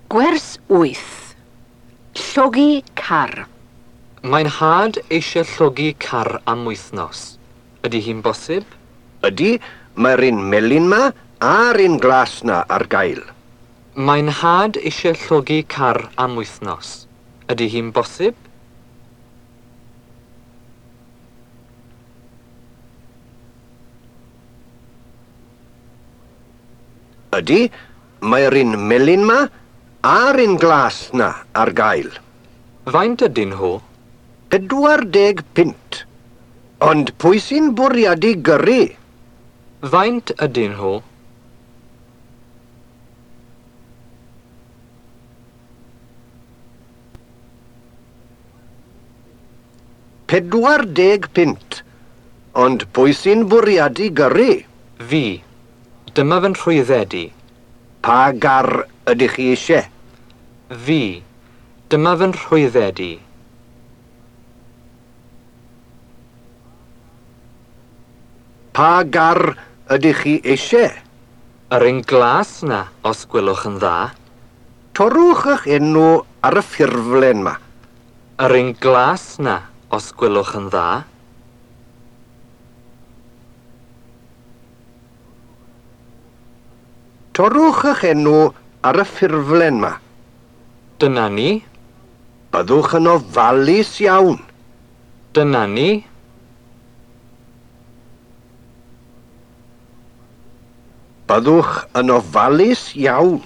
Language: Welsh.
Gwers 8. Llogi car. Mae'n nhad eisiau llogi car am wythnos. Ydy hi'n bosib? Ydy, mae'r un melyn 'ma a'r un glas 'na ar gael. Mae'n nhad eisiau llogi car am wythnos. Ydy hi'n bosib? Ydy, mae'r un melyn 'ma a'r un glas 'na ar gael. Faint ydyn nhw? 40 punt. Ond pwy sy'n bwriadu gyrru? Faint ydyn nhw? 40 punt. Ond pwy sy'n bwriadu gyrru? Fi. Dyma fy nhrwydded i. Pa gar ydych chi eisiau? Fi. Dyma fy nhrwydded i. Pa gar ydych chi eisiau? Yr un glas 'na, os gwelwch yn dda. Torrwch eich enw ar y ffurflen 'ma. Yr un glas 'na, os gwelwch yn dda. Torrwch eich enw ar y ffurflen 'ma. Dyna ni. Byddwch yn ofalus iawn. Dyna ni. Byddwch yn ofalus iawn.